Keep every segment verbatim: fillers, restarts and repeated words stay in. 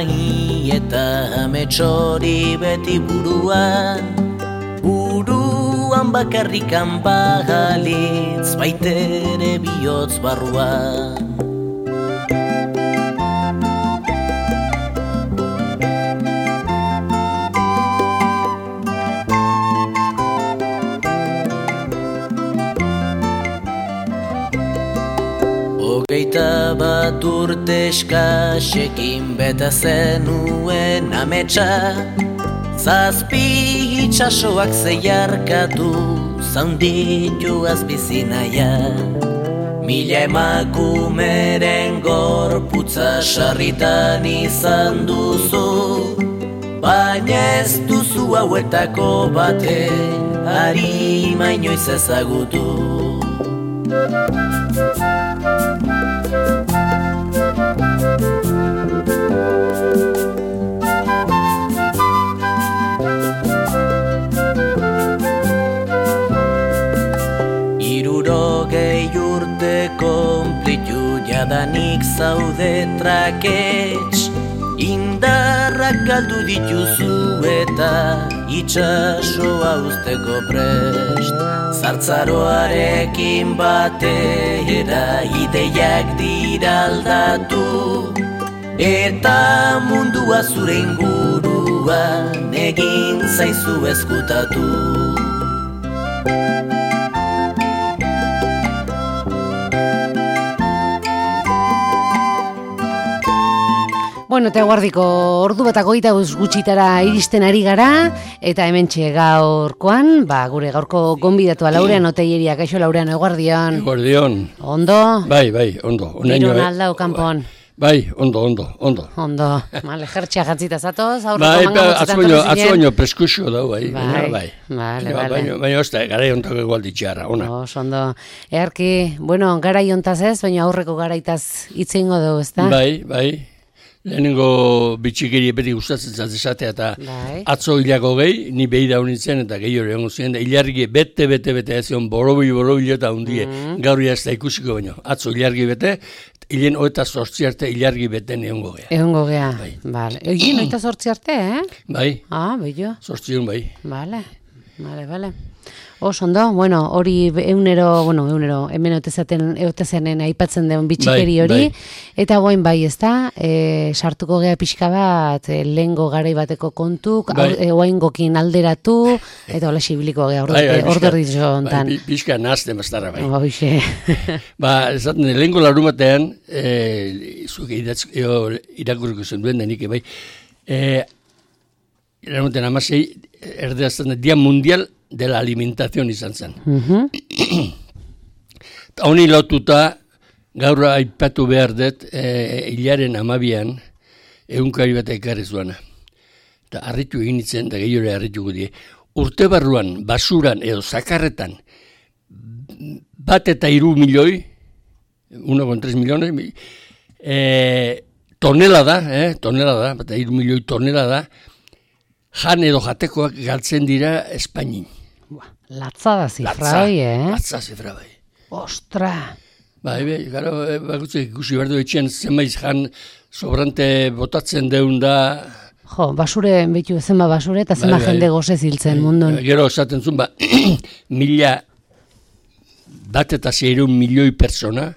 Eta ametsori beti buruan, buruan bakarrikan bagalitz, baitere bihotz barruan. Hogeita bat urte eskasekin beta zenuen ametsa, zazpi itxasoak zeiarkatu zaunditu azbizinaia. Mila emakumeren gorputza sarritan izan duzu, baina ez duzu hauetako baten harima inoiz ezagutu. Hirurogei urte konplitu jadanik zaude trakets, indarrak galdu dituzu eta itxasoa uzteko prest. Zartzaroarekin batera ideiak dira aldatu, eta mundua zure inguruan egin zaizu ezkutatu. Bueno, eta eguardiko ordu bat agoita gutxitara iristen ari gara, eta hementxe gaurkoan, ba, gure gaurko gonbidatua Laurean Oteieria. Kaixo Laurean, eguardion. Eguardion. Ondo? Bai, bai, ondo. Girun aldau kanpon. Bai, ondo, ondo, ondo. Ondo. Male, jertxea jatzita zatoz, aurreko bai, manga motzetan torri zinen. Atzo baino preskusio dau, bai. Bai, bai. Bale, Ja, bale. Baina, baina, osta, gara ontako egualdi txarra, ona. Os, ondo. Earki, bueno, garai hontaz ez, baina aurreko garaitaz itzingo dugu, ezta? Bai, bai. Lehenengo bitxikeri beti gustatzen zatezatea eta Bai. atzo hilako gehi, ni behi da honintzen eta gehi hori egon ziren, da hilargi bete, bete, bete, ez zion borobili, borobili eta hundie, Mm. gaur ez da ikusiko baino. Atzo hilargi bete, hilen oeta sortzi arte hilargi beten egongo gea. Egongo gea. Bai. Vale. Egin, oita sortzi arte, eh? Bai, Ah, bello. sortzion bai. Vale, vale, vale. Os, ondo, bueno, hori eunero, bueno, eunero, hemen otezaten, eutezenen aipatzen den bitxikeri Bai, hori, bai. eta guain bai, ez da, e, sartuko gea pixka bat, e, lehengo garai bateko kontuk, Bai. bai. Guain gokin alderatu, eta hola xibiliko gea, Bai, bai, ordu erdi pixka- hontan. bai, pi- Pixka nazten bastara bai. Hoxe. Ba, esaten, lehenko larumatean, e, zuke idatz, eo, irakurriko zen duen denik, bai, e, larumatean amasei, erdeazten, Dia Mundial de la Alimentación izan zen. Mhm. Eta honi lotuta, gaur aipatu behar dut, e, hilaren amabian, egunkari bat ekarri zuana. Eta harritu egin itzen, eta gehiore harrituko die. Urte barruan, basuran edo zakarretan, bat eta iru milioi, uno koma tres miliones, e, tonela da, eh, tonela da, bat eta iru milioi tonela da, jan edo jatekoak galtzen dira Espainin. Latza da zifra Latza, hoi, eh? latza zifra bai. Ostra! Bai, bai, gara, bakutzek ikusi behar du etxean zenbait jan sobrante botatzen deun da. Jo, basure, betu, zenba basure eta zenba Bai, bai. jende goze ziltzen mundun. Gero esaten zuen, ba, mila bat eta zeireun milioi persona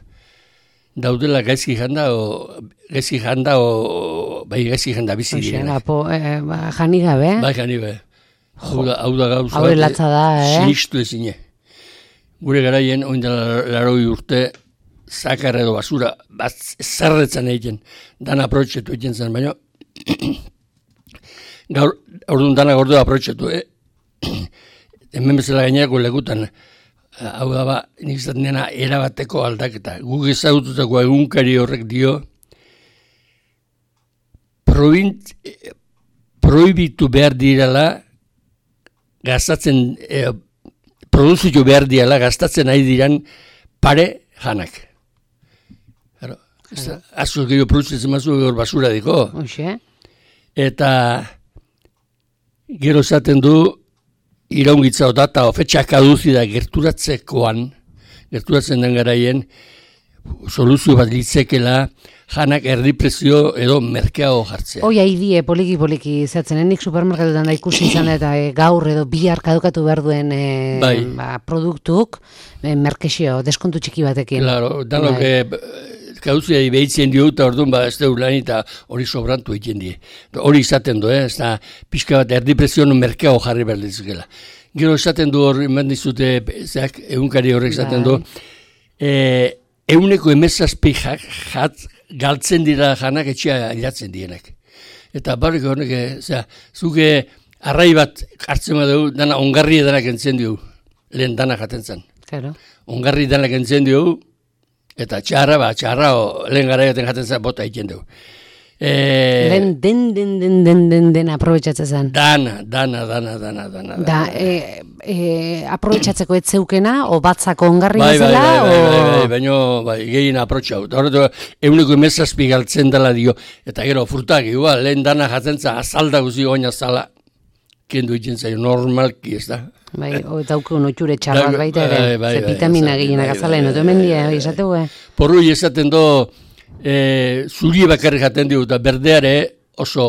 daudela gaizki janda, o gaizki janda, o bai gaizki janda bizi Hoxe, direnak. po, eh, ba, jani gabe. Bai, jani bai. Hau da, hau da gauza. Hau latza da, eh? Sinistu ezine. Gure garaien, oin dela laroi urte, zakar edo basura, bat zerretzen egiten, dan aprotxetu egiten zen, baina, gaur, orduan dana gordo aprotxetu, eh? Hemen bezala gainerako lekutan, hau da ba, nik izaten dena erabateko aldaketa. Guk ezagututako egunkari horrek dio, proint, prohibitu behar direla, gastatzen, eh, produzitu behar direla, gastatzen ari diran pare janak. Claro, asko gehiago produzitzen mazu gaur basura diko. Hoxe. Eta gero esaten du, iraungitza data ofetxak aduzi da gerturatzekoan, gerturatzen den garaien, soluzio bat litzekela, janak erdiprezio edo merkeago jartzea. Hoi haidie poliki-poliki zehatzen, nik supermerkatutan da ikusi izan eta e, gaur edo bihar kadukatu behar duen e, bai. ba, produktuk e, merkexio, deskontu txiki batekin. Claro, danok bai. e, gauzia behitzen dio eta orduan ba ez da lan eta hori sobrantu egiten die. Hori izaten du, eh? Ez da pixka bat erdiprezio merkeago jarri behar dizukela. Gero esaten du hori, eman dizute, zeak, egunkari horrek esaten du, e, euneko emezazpi jat, galtzen dira janak etxea hilatzen dienak. Eta barrik horrek, zera, zuke arrai bat hartzen badu, dana ongarri edanak entzen dio, lehen dana jaten zen. Claro. Ongarri edanak entzen dio, eta txarra, ba, txarra, o, lehen gara jaten zen bota egiten du. E, den, den, den, den, den, den, den aprobetxatzen zen. Dana, dana, dana, dana, dana. Da, e, e, aprobetxatzeko ez zeukena, o batzako ongarri bai, bezala, bai, bai, o... bai, bai, baina bai, gehien aprotxau. Horretu, eguneko emezazpi galtzen dela dio, eta gero, frutak, igual, lehen dana jatzen zen, azalda guzi oina zala, kendu egiten zaio, normalki, ez da? Bai, eta auke unotxure txarrat baita ere, bai, bai, ze bai, vitamina bai, gehienak bai, azalen, bai, oto hemen bai, dia, bai, esateu, eh? Porrui esaten do, e, zuri bakarri jaten dio, eta berdeare oso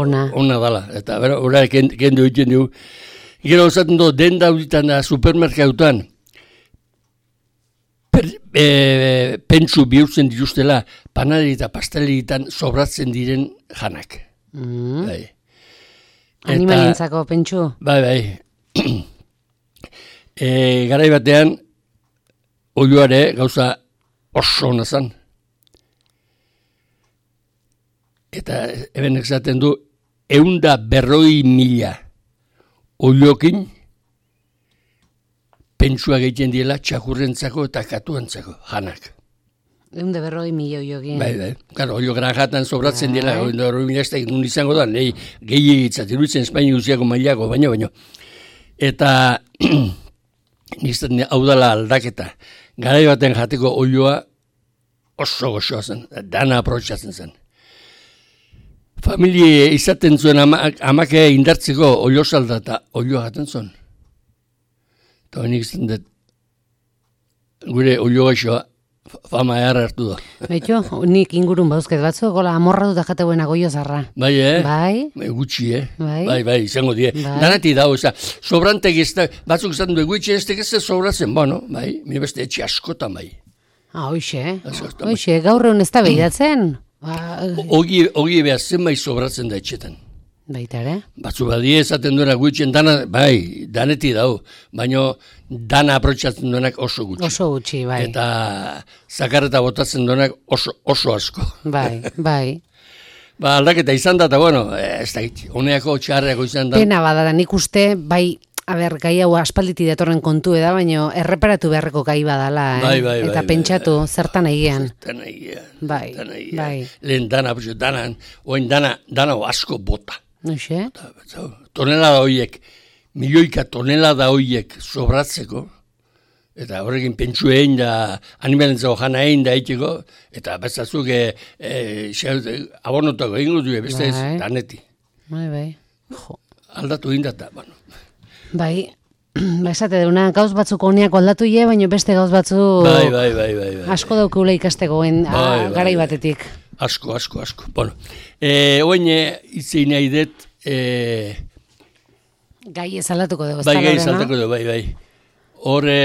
ona, ona dala, eta bera, ora kendu egiten dio. Gero esaten do, den dauditan da supermerkautan, per, e, pentsu bihurtzen dituztela, panaderi eta pasteleritan sobratzen diren janak. mm. Bai. Animalientzako pentsu. Bai, bai. e, garai batean, oioare gauza oso ona zan. Eta eben esaten du, eunda berroi mila oiokin pentsua egiten diela txakurrentzako eta katuantzako janak. Eunda berroi mila oiokin. Bai, bai. Claro, oio granjatan sobratzen Bai. dela, eunda berroi mila ez da nun izango da, nahi gehi egitzatzen dutzen Espainia guziako mailako, baino, baino. Eta nizten hau dela aldaketa. Garai baten jateko oioa oso goxoa zen, dana aprotxatzen zen. Familie izaten zuen ama, amake indartzeko oio salda eta oioa jaten zuen. Eta hori nik izan dut, gure oio gaixoa fama eharra hartu da. Baito, nik ingurun bauzket batzu, gola amorra dut ajateuen agoio zarra. Bai, eh? Bai. Gutxi, eh? Bai. Bai, bai, izango die. Bai. Danati dago, eza, sobrantek ez da, batzuk izan du, gutxi ez da sobratzen, bueno, bai, mire beste etxe askotan, bai. Ah, hoxe, Askotan, bai. hoxe, gaur egun ez da behidatzen. Ba, Ogi, ogi behar zenbait sobratzen da etxetan. baita ere. Batzu badie esaten duena gutxien dana, bai, daneti dago, baina dana aprotxatzen duenak oso gutxi. Oso gutxi, bai. Eta zakarreta botatzen duenak oso, oso asko. Bai, bai. Ba, aldaketa izan da, eta bueno, ez da, honeako txarreako izan da. Pena bada, nik uste, bai, a ber, gai hau aspalditi datorren kontu eda, baina erreparatu beharreko gai badala, eh? Bai, bai, Eta bai, pentsatu, bai, zertan egian. Zertan egian. Bai, zertan egian. bai. Lehen dana, danan, oin dana, dana asko bota. Noxe? Tonelada horiek, milioika tonelada horiek sobratzeko, eta horrekin pentsu egin da, animalentzako jana egin da eiteko, eta bezazuk e, e, abonotako egin gutu, beste ez, Bai. daneti. Bai, bai. Jo. Aldatu egin da, bueno. Bai, ba esate deuna, gauz batzuk honiako aldatu ie, baina beste gauz batzuk Bai, bai, bai, bai, bai. asko daukula ikastegoen Bai, bai, garai bai. batetik. Asko, asko, asko. Bueno, e, oin itzein nahi dut, e, Gai ez aldatuko dugu, ez bai da, gai Lorena? saltako du, bai, bai. Hor e,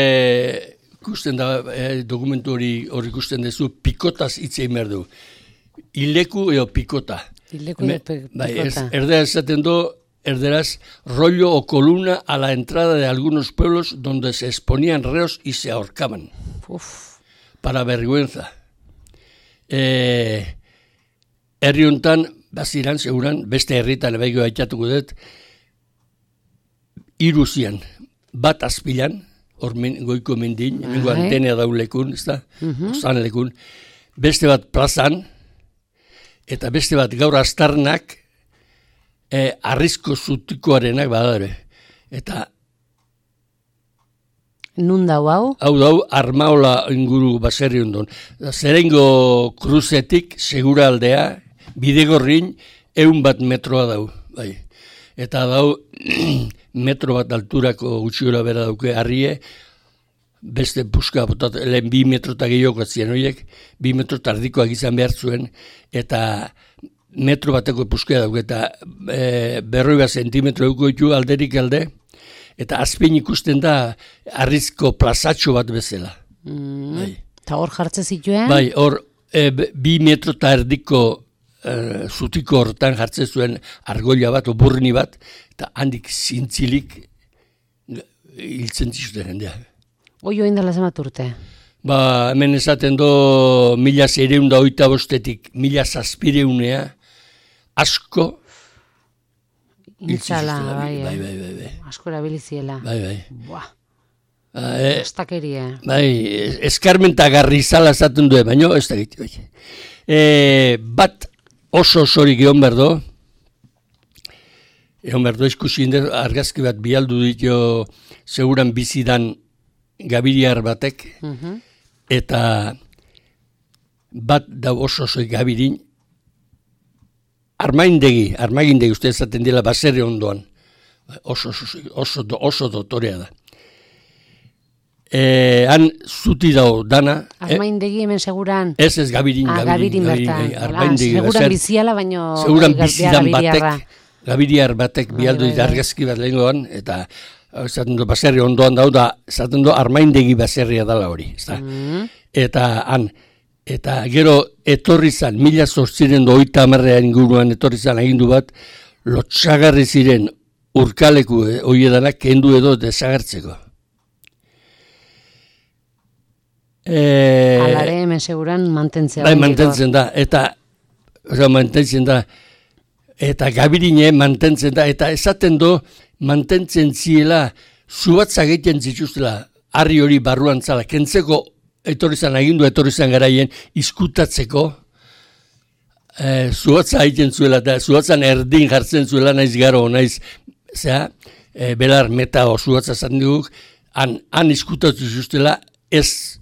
ikusten da, e, dokumentu hori hor ikusten duzu, pikotaz itzein behar du. Ileku edo pikota. Ileku edo pi- Bai, ez, pikota. erderaz esaten du, erderaz, rollo o columna a la entrada de algunos pueblos donde se exponían reos y se ahorcaban. Uf, Para vergüenza. Eh, herri hontan, baziran, seguran, beste herritan ebaiko aitatuko dut, hiru zian, bat azpilan, hor men, goiko mendin, Bai. mengo antenea daulekun, ez da, ozan lekun, beste bat plazan, eta beste bat gaur astarnak, eh, arrizko zutikoarenak badare. Eta nun dau hau? hau dau Armaola inguru baserri ondon. Zerengo kruzetik segura aldea, bidegorrin eun bat metroa dau. Bai. Eta dau metro bat alturako gutxiora bera dauke harrie, beste puska botat, lehen bi metro eta gehiago ziren horiek, bi metro tardikoak izan behar zuen, eta metro bateko puskea dauk, eta e, berroi bat zentimetro euko ditu alderik alde, eta azpien ikusten da arrizko plazatxo bat bezala. Mm. Bai. Eta hor jartze zituen? Bai, hor e, bi metro eta erdiko e, zutiko horretan jartzen zuen argoila bat, oburni bat, eta handik zintzilik hiltzen zizuten jendea. Oi join dela zemat urte? Ba, hemen esaten do mila zeireun da oita bostetik mila zazpireunea asko Intzala, bai, bai, bai, bai, bai. Asko erabiliziela. Bai, bai. Buah, E, estakeria. bai, eskarmentagarri izala esaten du, baina ez da gitu. Bai. E, bat oso osorik egon berdo, egon berdo eskusi inder, argazki bat bialdu ditu seguran bizidan gabiriar batek, Uh-huh. eta bat da oso osoik gabirin, armaindegi, armaindegi uste ezaten dela baserri ondoan, oso, oso, oso, oso dotorea da. E, han zuti dago dana. Armaindegi hemen seguran. Ez ez gabirin, Ah, gabirin, gabirin bertan. gabirin, armaindegi. Seguran baser- biziala, baino... Seguran gai- bizidan gabiriarra. batek, gabiriar batek Bai, bialdu bai, dit bai. argazki bat lehengoan, eta esaten du baserri ondoan dau da, esaten du armaindegi baserria dala hori. Ezta? Mm. Eta han, eta gero etorri zan, mila zortziren doita amarrean inguruan etorri zan agindu bat, lotxagarri ziren urkaleku eh, oiedanak kendu edo desagertzeko. E, Alare hemen seguran mantentzea. bai, oraindik hor. mantentzen da, eta oza, mantentzen da, eta gabirine mantentzen da, eta esaten do, mantentzen ziela, zubatzak egiten zituztela, harri hori barruan zala, kentzeko etorri zan agindu, etorri zan garaien, izkutatzeko, e, zubatza egiten zuela, eta zubatzan erdin jartzen zuela, naiz garo, naiz, zera, e, belar meta o zubatza zaten duguk, han, han izkutatu zituztela, ez,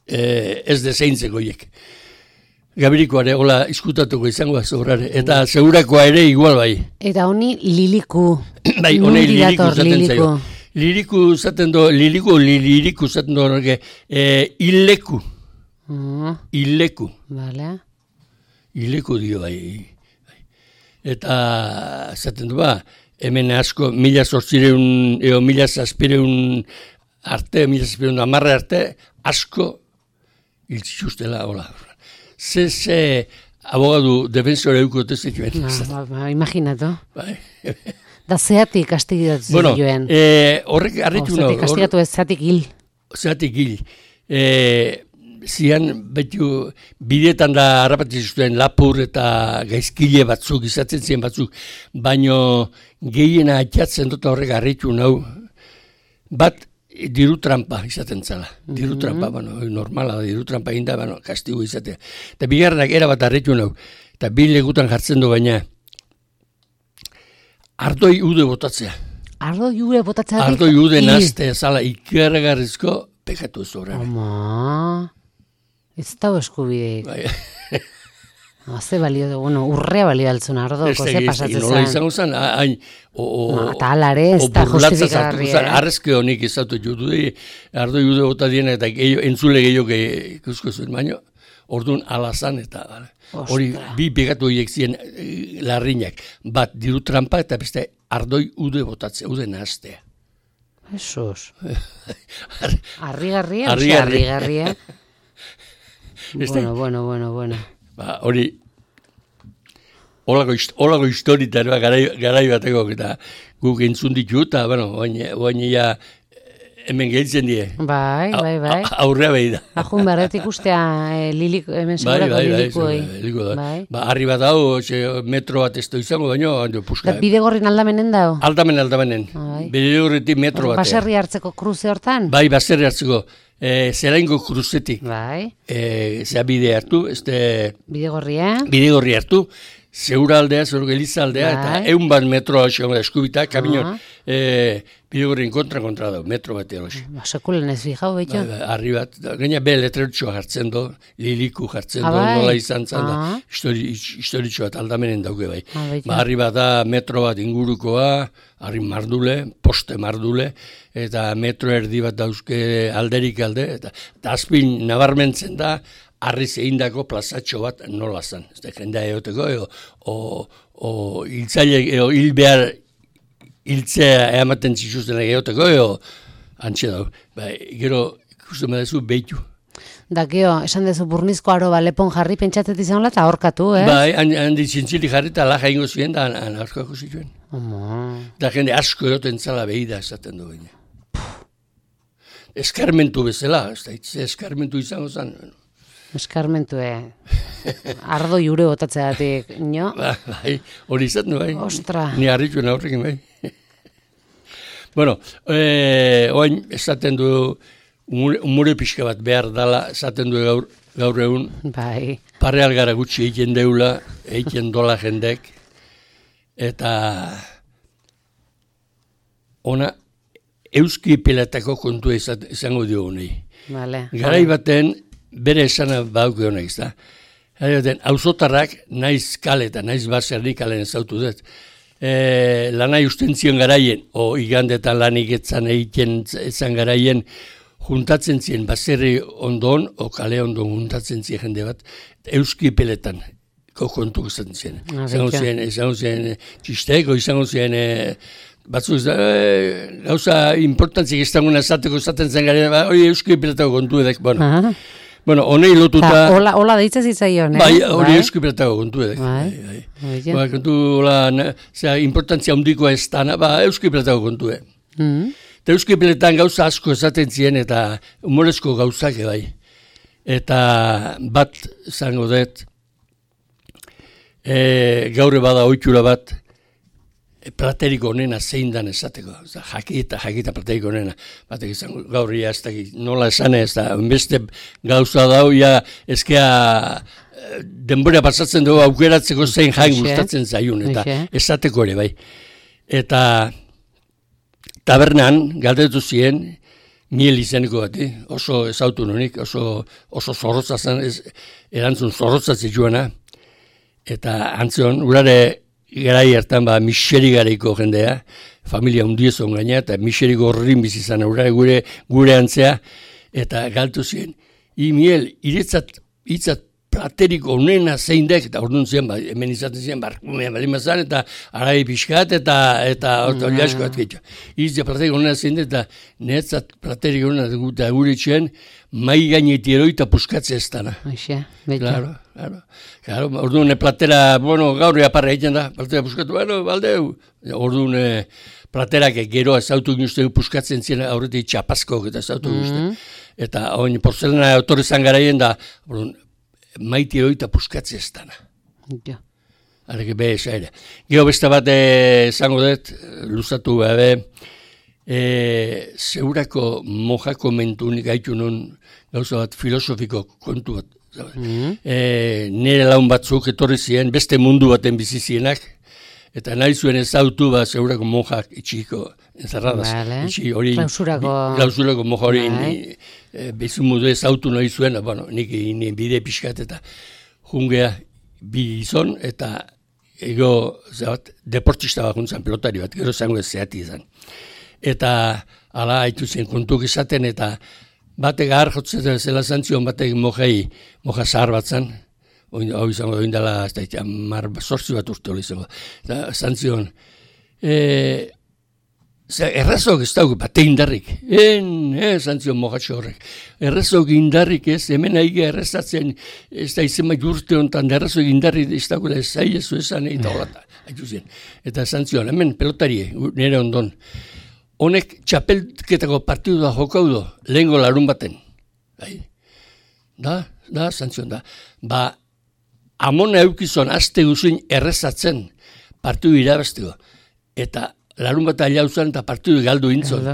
e, ez deseintzeko hiek. Gabirikoa ere, hola, izkutatuko izango da zobrare, eta segurakoa ere igual bai. Eta honi liliku. Bai, honei Nondik liriku dator zaten liliku? zaio. Liriku zaten do, liriku, liriku zaten do, horreke, e, illeku, Mm, illeku, vale. illeku dio bai. Eta zaten du ba, hemen asko, mila zortzireun, eo mila zazpireun arte, mila zazpireun amarre arte, asko iltzituztela, hola. Ze, ze, abogadu defensore euko tezituen. No, ba, ba, imaginatu. Bai. Da zeatik kastigatu Bueno, zituen. eh, horrek arritu Zeatik kastigatu ez zeatik hil. Zeatik hil. E, zian, betu, bidetan da harrapati zituen lapur eta gaizkile batzuk, izatzen ziren batzuk, baino gehiena atxatzen dut horrek arritu nau, bat diru trampa izaten zala. Diru trampa, bueno, normala da, diru trampa inda, bueno, kastigo izatea. Eta bigarrenak era bat arritu nau, eta bi legutan jartzen du baina, ardoi ude botatzea. Ardo jure botatzeatik. Ardoi ude hil. nazte, zala, ikergarrizko pekatu ez horren. Ama, ez dago eskubideik. Bai. Ze balio du, bueno, urrea balio altzun ardoko, ze pasatzen Nola zen. izango zen, hain, o, o, No, eta alare ez o da burlatza sartuko justifikagarria, zen, eh? arrezke honik izatu jutu, ardoi ude bota diena, eta gehiago, entzule gehiago ikusko zuen, baino, orduan alazan, eta hori bi pegatu horiek ziren eh, larrinak, bat diru trampa, eta beste ardoi ude botatzea, ude nahaztea. Jesus. Arrigarria, Harrigarria. arrigarria. Ez da- Bueno, bueno, bueno, bueno. Ba, hori, olako, hist- olako historita, ere, garai, garai bateko, eta guk entzun ditu, eta, bueno, oain ja hemen gehitzen die. Bai, bai, bai. A- Aurrea behi da. Ajun barret ikustea eh, liliko, hemen Bai, segurako bai, bai, lilikuei. liliko da. Bai. Ba, harri bat hau, xe, metro bat ez da izango, baino, hando puska. Da, bide gorrin aldamenen dao? Aldamen, aldamenen. Bai. Bide horretik metro batean. Baserri hartzeko kruze hortan? Bai, baserri hartzeko. E, zeraingo kruzetik. Bai. E, zea bide hartu, este Bide gorria? bide gorri hartu, zeura aldea, zeura geliza aldea, eta eun bat metroa eskubita, kamion, e, bidegorren kontra-kontra da, metro bat erosi. Ba, sekulen ez bijau, beto? Ba, ba, arri bat, gaina be letrerutxoa jartzen do, liliku jartzen do, nola izan zan da, historitxo bat aldamenen dauke bai. Ba, arri bat da metro bat ingurukoa, arri mardule, poste mardule, eta metro erdi bat dauzke alderik alde, eta azpin nabarmentzen da, arri zeindako plazatxo bat nola zan. Ez da, jendea egoteko, o, o hiltzaile, o hil behar, hiltzea eamaten zituzten egoteko, eo, antxe dago. Ba, gero, ikusten badezu, behitu. Da, gero, esan dezu burnizko aro lepon jarri pentsatzen izan eta horkatu, eh? Bai, handi zintzili jarri eta laja ingo zuen, da, horkako zituen. Da, jende asko eroten zala behi da, esaten du baina. Eskarmentu bezala, ez da, eskarmentu izango zen. Eskarmentu, eh? Ardo jure botatzeatik, nio? Ba, bai, hori izaten bai. Ostra. Ni harrituen aurrekin bai. Bueno, eh, oain esaten du umure pixka bat behar dala, esaten du gaur, gaur egun. Bai. Parre algara gutxi egiten deula, egiten dola jendek, eta ona euski pelatako kontua izango dio honei. Vale. Garai baten, bere esana bauke honek, ez da? Garai baten, auzotarrak naiz kale eta naiz baserrik kalen ezautu dut. E, lanai usten zion garaien, o igandetan lanik etzan egiten ezan garaien, juntatzen ziren baserri ondon, o kale ondon juntatzen ziren jende bat, euski peletan kontu gustatzen ziren. Izango ziren, izango ziren txisteko, izango ziren batzuk ez da, gauza importantzik ez daguna esateko esaten zen garaien, hori euski peletako kontu edek, bueno. Bueno, honei lotuta... Hola, hola deitza zitzaion, eh? Bai, hori euski peletako kontu edek. Bai, bai. Ba, kontu, hola, zera, importantzia handikoa ez dana, ba, euski peletako kontu edek. Eta euski peletan gauza asko esaten ziren eta humorezko gauzak bai. Eta bat zango dut, e, gaur bada ohitura bat, platerik onena zein dan esateko. Jakita, jakita platerik onena. Batek izango gaur ia ez da, nola esan ez da, beste gauza dau, ja, ezkea denbora pasatzen dugu aukeratzeko zein jain gustatzen zaiun, eta esateko ere bai. Eta tabernan, galdetu ziren, miel izeneko bati, oso ezautu nonik, oso, oso zorrotza zen, ez, erantzun zorrotza zituena, eta antzion, urare garai hartan ba miseri garaiko jendea, familia hundiezon gaina, eta miseri gorrin bizizan urare gure, gure antzea, eta galtu ziren, i miel, iretzat, itzat, platerik onena zein dek, eta orduan ziren, ba, hemen izaten ziren, barkumea balimazan, eta arai pixkat, eta eta hori asko bat getxo. Itzat platerik onena zein dek, eta netzat platerik onena eta gure txen, mai gaineti eroita puskatzea ez dana. Aixe, betxo. Claro, claro. Claro, orduan platera, bueno, gaur aparra egiten da, platera puskatu, bueno, baldeu. Orduan platerak gero ezautu ginuzte puskatzen ziren aurretik txapazko, eta ezautu ginuzte. Eta oin porzelana autorezan garaien da, orduan, maiti eroita puskatzea ez dana. Ja. Arreke be, esaire. Gero beste bat esango dut, luzatu gabe, e, zeurako mojako mentunik gaitu non gauza bat filosofiko kontu bat. Mm-hmm. E, nire laun batzuk etorri ziren, beste mundu baten bizi zienak, eta nahi zuen ezautu bat zeurako mojak itxiko enzarradas. Vale. Itxi hori, klausurako, klausurako moja hori e, bezu mundu ezautu nahi zuen, bueno, nik ni bide pixkat eta jungea bi gizon, eta ego, zebat, deportista bat juntzan, pelotari bat, gero zango ez zehati izan. Eta ala haitu zen kontuk izaten, eta batek ahar jotzen zela zantzion, batek mojei, moja zahar bat zan, hau izango da indala, ez da, mar sortzi bat urte hori izango. Eta zantzion, e, errazok ez dauk, bate indarrik, en, eh, zantzion mojatxo horrek, errazok indarrik ez, hemen aige errazatzen, ez da izema jurte honetan, errazok indarrik ez dauk, ez zai ez zuezan, eta horata, haitu zen. Eta zantzion, hemen pelotarie, nire ondon, honek txapelketako partidu da jokau do, lehengo larun baten. Bai. Da, da, zantzion da. Ba, amona eukizon azte guzuin errezatzen partidu irabazteko. Eta larun bat aliauzan eta partidu galdu intzon.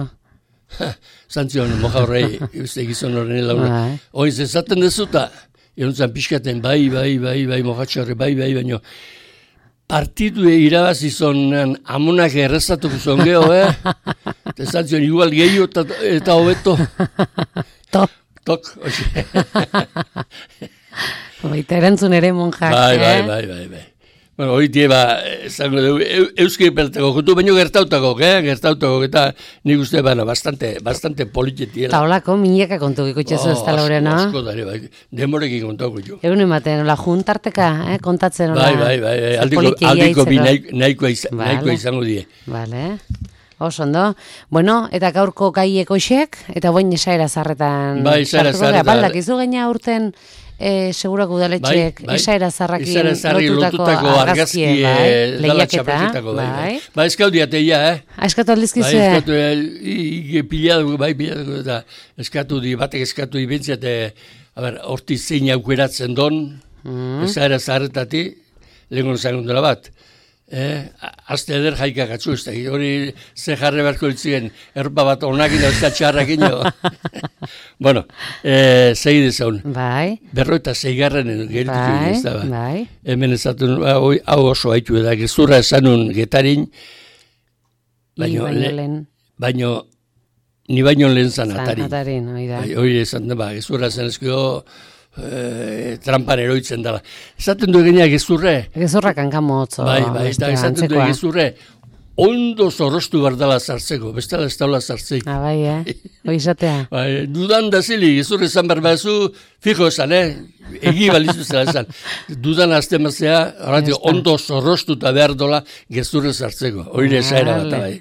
Zantzion, moja horrei, gizon horren launa. Oiz ezaten dezuta, erontzan pixkaten, bai, bai, bai, bai, mojatxo horre, bai, bai, baino. partidu irabazi zonan amonak errezatuko zon geho, eh? Eta zion, igual gehiago eta, eta hobeto. Tok. Tok, hoxe. Baita erantzun ere monjak, bai, eh? Bai, bai, bai, bai. Bueno, hori tie, ba, zango dugu, euski pertako, jutu baino gertautako, eh? Gertautako, eta nik uste, bueno, bastante, bastante politietiela. Eta holako, mineka kontu ikutxezu ez tala hori, no? Asko dare, bai, demorekin kontauko jo. Egun ematen, hola, juntarteka, eh? Kontatzen, hola. Bai, bai, bai, aldiko, aldiko bi nahikoa izango, izango die. Vale. Oso ondo. Bueno, eta gaurko gaiek hoxek, eta boin esaera zarretan. Bai, esaera zarretan. Baldak, izu gaina urten e, segurako udaletxeek, bai, bai. Esaera zarrakin lotutako argazki, bai, lehiaketa. Bai, ba, eskatu diateia, eh? Eskatu aldizkizu, eh? Bai, eskatu, piladu, bai, piladu, eta eskatu di, batek eskatu di bintziat, a ber, horti zein aukeratzen don, mm. esaera zarretati, lehenko zangon dela bat. Eh, azte eder jaikak atzu, ez da, hori ze jarre beharko ditzen, erpa bat onakin da, ez da txarrakin jo. Bueno, eh, segi dezaun. Bai. Berro eta zeigarren geritu bai, ez da, ba. Bai. Hemen ezatun, hau oso haitu da, gezurra esanun getarin, baino, baino, baino, ni baino lehen zan atarin. Zan atarin, hori da. Hori esan da, ba, gezurra zen ezkio, E, trampan eroitzen dela. Esaten du eginak gezurre. Gezurrak hankamotzo. Bai, bai, eta esaten du gezurre. Ondo zorrostu bardala zartzeko, bestela ez daula zartzeik. Ah, bai, eh? Oizatea. Bai, dudan da zili, gezurre esan berbazu, fijo esan, eh? Egi balizu zela esan. Dudan azte mazea, ondo zorrostu eta behar dola gezurre zartzeko. Oire esaera bat, bai.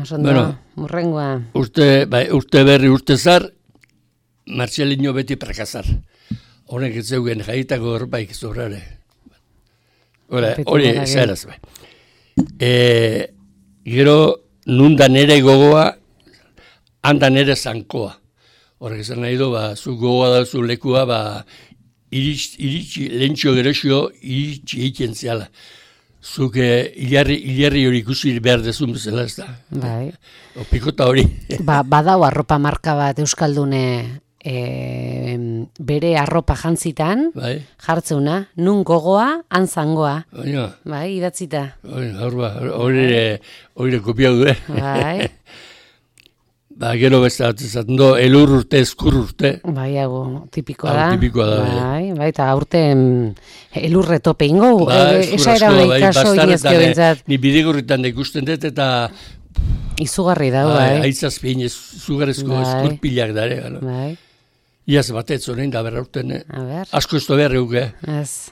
Osondo, bueno, murrengoa. Urte, bai, urte berri, urte zar, Martxelinho beti prakazar. Honek ez zeugen jaitako horbaik zobrare. Hori, zaheraz bai. E, gero, nundan ere gogoa, handan ere zankoa. Horrek esan nahi du, ba, zu gogoa da zu lekua, ba, iritsi, iritsi, lentxo gerosio, iritsi egiten ziala. Zuke hilarri, hilarri hori ikusi behar dezun bezala, ez da. Bai. O pikota hori. Ba, badau arropa marka bat Euskaldune e, bere arropa jantzitan, bai. Jartzeuna, nun gogoa, antzangoa. Baina. Bai, idatzita. Hori kopiau du, eh? Bai. Ba, gero beste bat ezaten do, elur urte, eskur urte. Bai, hau, tipikoa da. Hau, tipikoa da, bai. Bai, bai, eta aurte elurre tope ingo. Ba, eskur asko, bai, bastarretan, ni bidegurritan da ikusten dut, eta izugarri da, bai. Aitzazpien, izugarrezko eskurpilak dare. Bai. Iaz batetz honein da berra urten. Asko ez da behar euk, eh? Ez.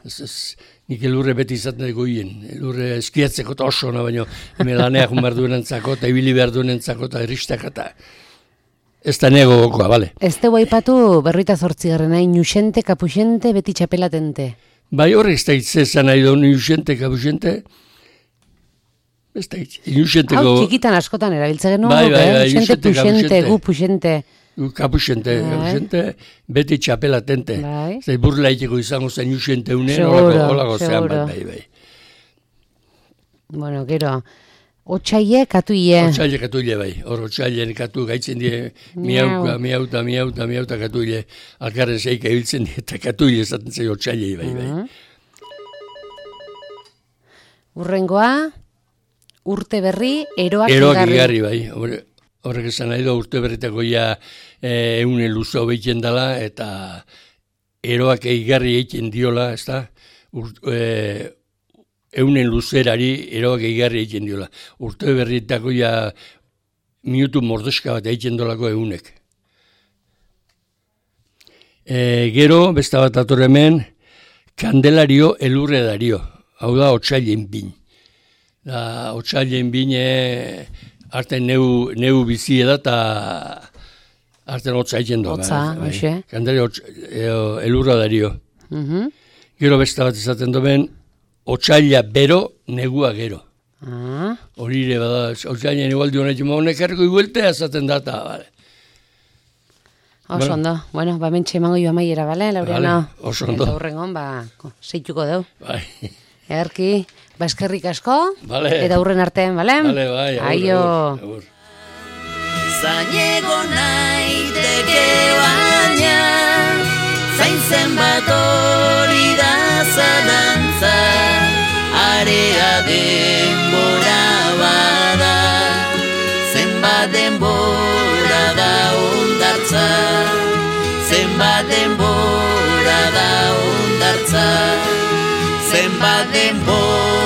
Nik elurre beti izaten dugu hien. Elurre eskiatzeko eta oso, baina melaneak behar duen entzako, eta ibili behar duen entzako, eta eristak, eta ez da nego gokoa, bale? Ez tegu aipatu berroita zortzigarren nahi, nuxente, kapuxente, beti txapelatente. Bai, horre ez da itzezan nahi du, nuxente, kapuxente, ez da itzezan. Hau, txikitan askotan erabiltze genuen, bai, bai, bai, nuxente, puxente, gu puxente. Kapuxente, kapuxente, beti txapelatente. Bai. Zai burla iteko izango zen nuxente unen, holako zean bat, bai, bai. Bueno, gero, otxaile katuile. Otxaile katuile, bai. Hor, otxailen katu gaitzen die, miauka, miauta, miauta, miauta katuile. Alkarren zeika ibiltzen die, eta katuile esaten zei otxailei, bai, bai. Urrengoa, urte berri, eroak igarri. Eroak igarri, bai. Horrek esan nahi du, urte berritako ja eune luzo behiten dela, eta eroak eigarri egiten diola, ez da? Eunen luzerari eroak eigarri egiten diola. Urte berritako ja minutu mordeska bat egiten dolako eunek. Gero, besta bat ator hemen, kandelario elurre dario. Hau da, otsailen bin. Otsailen bine... Arten neu, neu bizi eda eta arten hotza egin doa. Hotza, hoxe. Kandari elurra dario. Uh-huh. Gero beste bat izaten doen, otsaila bero, negua gero. Ah. Hori ere bada, otsaila negualdi honetan, honek erko igueltea esaten data, bale. Oso ondo. Bueno, ba mentxe emango joa maiera, bale, Laureano? Vale, oso ondo. Eta hurrengon, ba, zeituko deu. Bai. Erki, baskerrik asko, vale. Eta hurren artean, bale? Vale, bai, aio. Agur, Zainego naiteke baina, zain zenbat hori da zalantza, hotza, zenbat denbora